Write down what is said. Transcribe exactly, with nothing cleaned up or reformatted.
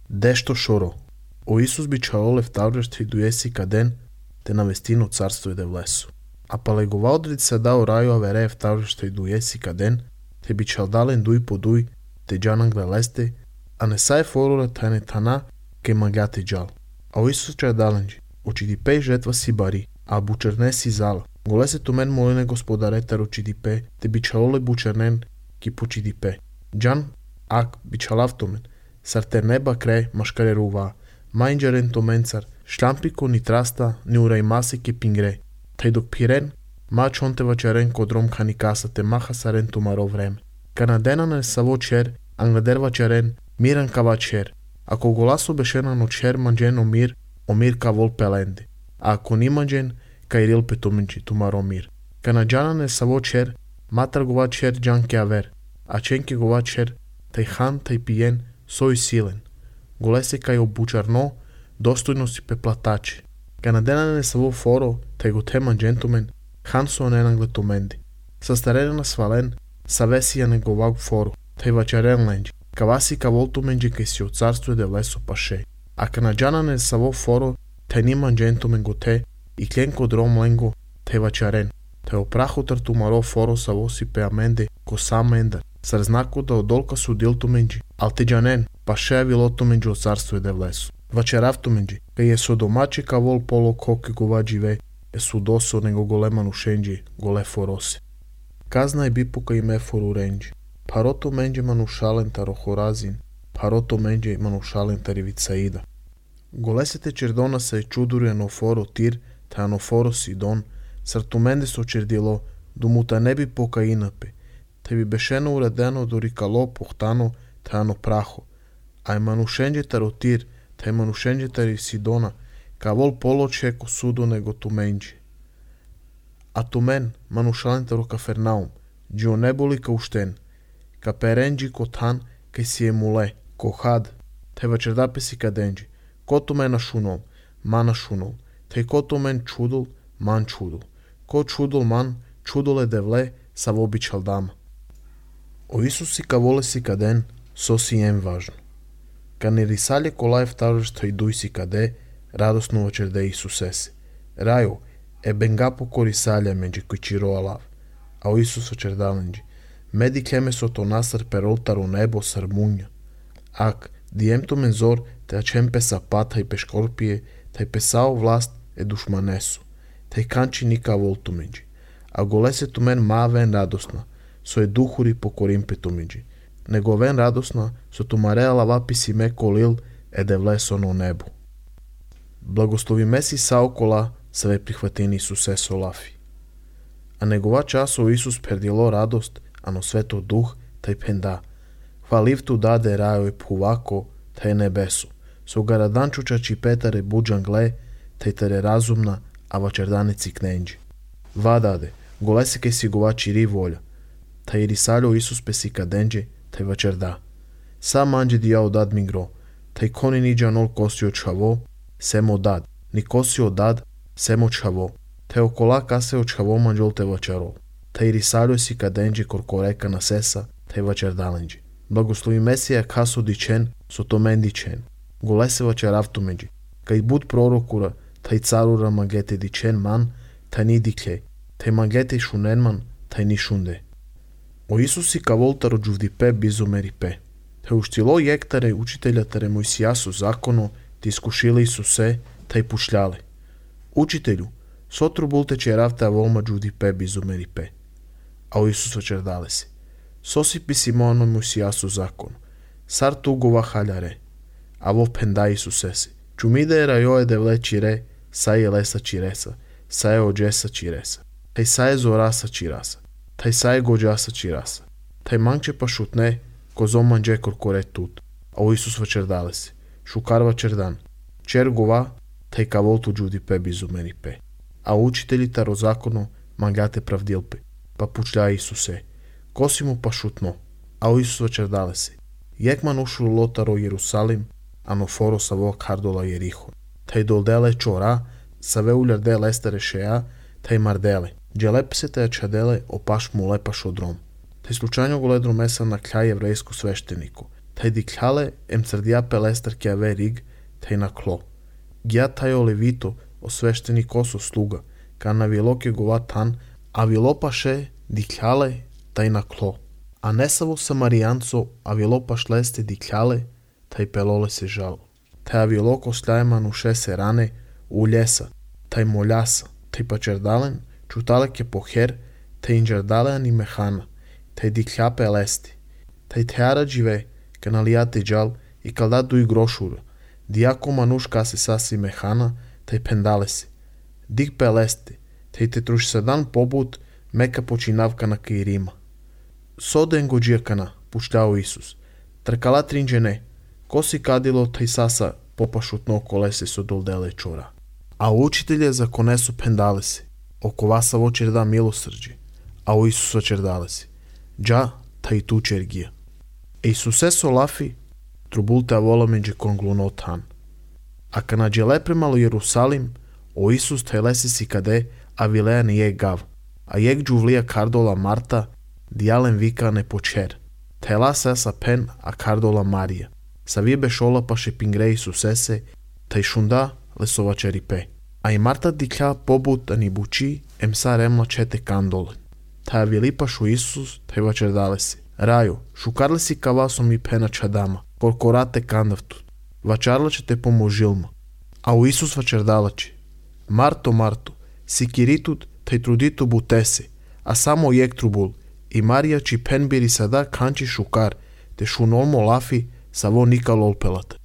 Дещо шоро. O Isus bi čaole vtavlješti dujesi kaden, te na vestinu carstvo je devlesu. A pa legova odrica dao raju avere vtavlješti dujesi kaden, te bi čaldalen duj po duj, te džanan gleleste, a ne saj forule tane tana, ke magate džal. A o Isus čaldalenđi, oči di pej žetva si bari, a bučerne si zala. Gole se tu men moline gospodaretar oči di pe, te bi čalole bučernen, ki poči di pe. Džan, ak bi čalav tomen, sar ter neba kre maškare ruva, mainjaren tomencar, šlampiko ni trasta, ni uraj mase ke pingre, taj dok piren, ma čonte vačaren kodrom kani kasa te maha saren tumaro vreme. Kanadena ne savo čer, anglader vačaren, miran ka vačer. Ako golaso bešena no čer manđen omir, omir ka vol pelende. A ako ni manđen, ka iril petumenči tumaro mir. Kanadjana ne savo čer, matar gova čer džanke aver, a čenke gova čer, taj han, taj pijen, soj silen. Golese kaj obučarno, dostojno si peplatače. Kanadena ne savo foro, taj go teman džentumen, han so nenan gletumendi. Sastarena svalen, savesija negovag foru, taj vačaren lenđi. Kavasi ka voltumenđi kaj si od carstvu de leso paše. A kanadjana ne savo foro, taj niman džentumen go te, i klenko drom lengo, taj vačaren. Taj oprahu tartumaro foro savo si pe amende, ko sama endar. Sar znaku da odolka su diltumenđi, al te džanen, paše vilotumenđi od carstvu de leso. Vačeravtumenđi, kaj je so domače ka vol polo koke govađi ve, je su doso nego goleman ušenđi, gole forose. Kazna je bipuka i me foru renđi. Paroto menđe manušalen taro horazin, paroto menđe manušalen tarivicaida. Golesete čerdona se čudurje no foro tir, ta ano foro sidon, sar tu mende so čerdilo, dumuta ne bi poka inape, te bi bešeno uradeno do rikalo pohtano, ta ano praho, a je manušenđe taro tir, ta je manušenđe tari sidona, ka vol polo čeko sudo nego tu menđe. A tu men manušalen taro kafernaum, džio ne boli ka ušten, ka perenđi ko tan, kaj si je mule, ko had, te vačerdape si kadenđi, ko tu mena šunom, mana šunom, te ko tu men čudul, man čudul, ko čudul man, čudule devle, sa vobi čaldama. O Isusi ka vole si kaden, so si jem važno. Ka ne risalje kolaj vtavržta i duj si kade, radosno vačerde Isusese. Rajo, e bengapo korisalja menđe koji čiro alav, a o Isus vačerdalenđi. Medi kleme so to nasar per oltaro nebo sar munja. Ak, diemto menzor te acem pe sapata i pe škorpije, taj pesao vlast e dušmanesu, taj kanči nika voltumeđi. A golese tu men ma ven radosna, so je duhuri pokorim petumeđi. Nego ven radosna, so tu mareala vapisi me kolil e devleso no nebu. Blagoslovi mesi saokola, sve prihvatini Isuse solafi. A negova časo Isus perdilo radost, ano sveto duh, taj penda. Hvaliv tu dade rajo i puvako, taj nebesu. So garadančučači petare buđan gle, taj tare razumna, a vačerdanici knenđi. Vadade, golese kaj si govači ri volja. Taj risaljo Isus pesi kadenđe, taj vačerda. Sam anđe dijao dad mi gro, taj koni niđa nol kosio čavo, semo dad, ni kosio dad, semo čavo. Taj okola kase o čavo manđol te vačarol. Taj risaljo si kadenđe korkoreka na sesa, taj vačerdalenđe. Blagoslovi Mesija kaso dičen, so to men dičen. Golese vačeravtu međi. Kaj bud prorokura, taj carura magete dičen man, taj ni diklej. Taj magete šunen man, taj ni šunde. O Isusi ka voltaro džuvdipe bizumeripe. Taj uštilo jektare učitelja tare Mojsijasu zakono, ti iskušili Isuse, taj pušljale. Učitelju, sotru bulte čeravta volma džuvdipe bizumeripe. A o Isus vačerdale se. Sosipi Simono Mojsijasu zakonu. Sar tugova haljare. A vo penda Isusese. Čumide rajoe devle čire, saje lesa čiresa, saje ođesa čiresa. Taj saje zorasa čirasa. Taj saje gođasa čirasa. Taj manče pa šutne, ko zomanđe korkore tut. A o Isus vačerdale se. Šukar vačerdan. Čer gova, taj ka voltu džudi pe bizumeri pe. A učitelji taro zakono mangate pravdilpe. Pa pučlja Isuse. Kosi mu pa šutno. A o Isus vačerdale se. Jekman ušlo lotaro Jerusalim, ano foro sa vok hardola Jeriho. Taj doldele čora, sa ve uljarde lestere šeja, taj mardele. Dželep se taj čadele opaš mu lepaš odrom. Taj slučajno goledro mesa na kljaj jevrejsko svešteniku. taj dikljale em crdia pelester ke ave rig, taj na klo. Gia taj o levito, o svešteni koso sluga, ka na viloke gova tan, a vilopaše dikljale taj na klo. A nesavo samarijanco, a vilopaš leste dikljale, taj pelole se žalo. Taj aviloko sljajman u šese rane, u ljesa, taj moljasa, taj pačerdalen, čutaleke poher, taj inđerdalean i mehana, taj dikljape lesti, taj teara džive, kanalijate džal i kaldadu i grošura, dijako manuš kase sasi mehana, taj pendalesi, dik pelesti, taj te truš sadan pobut, meka počinavka na kairima. Soden gođijekana, puštao Isus, trkala trinđene, kosi kadilo taj sasa popašutno kolese su doldele čora. A učitelje za konesu pendalesi, oko vasa vočerda milosrđi, a u Isusa čerdalesi, dža taj tu čergija. E Isuse solafi, trubulte avola međe konglunotan. A kana džele premalo Jerusalim, o Isus taj lesi si kade, a vilean je gav, a jek džuvlija kardola Marta, dijalen vika ne počer, taj lasa sa pen a kardola Marija, sa vibe šola pa šepingre Isusese, taj šunda lesova čeripe. A i Marta diklja pobut ani buči, em sa remla čete kandolen. Taj vilipašu Isus, taj vačerdalesi. Rajo, šukarli si kavasom i pena čadama, korkorate kandavtut, vačarla će te pomožilma. A u Isus vačerdalači. Marto, Marto, sikiritut, taj truditu butese, a samo jek trubul, i Marija či pen biri sada kanči šukar, te šunolmo lafi, sa vo nika lolpelat.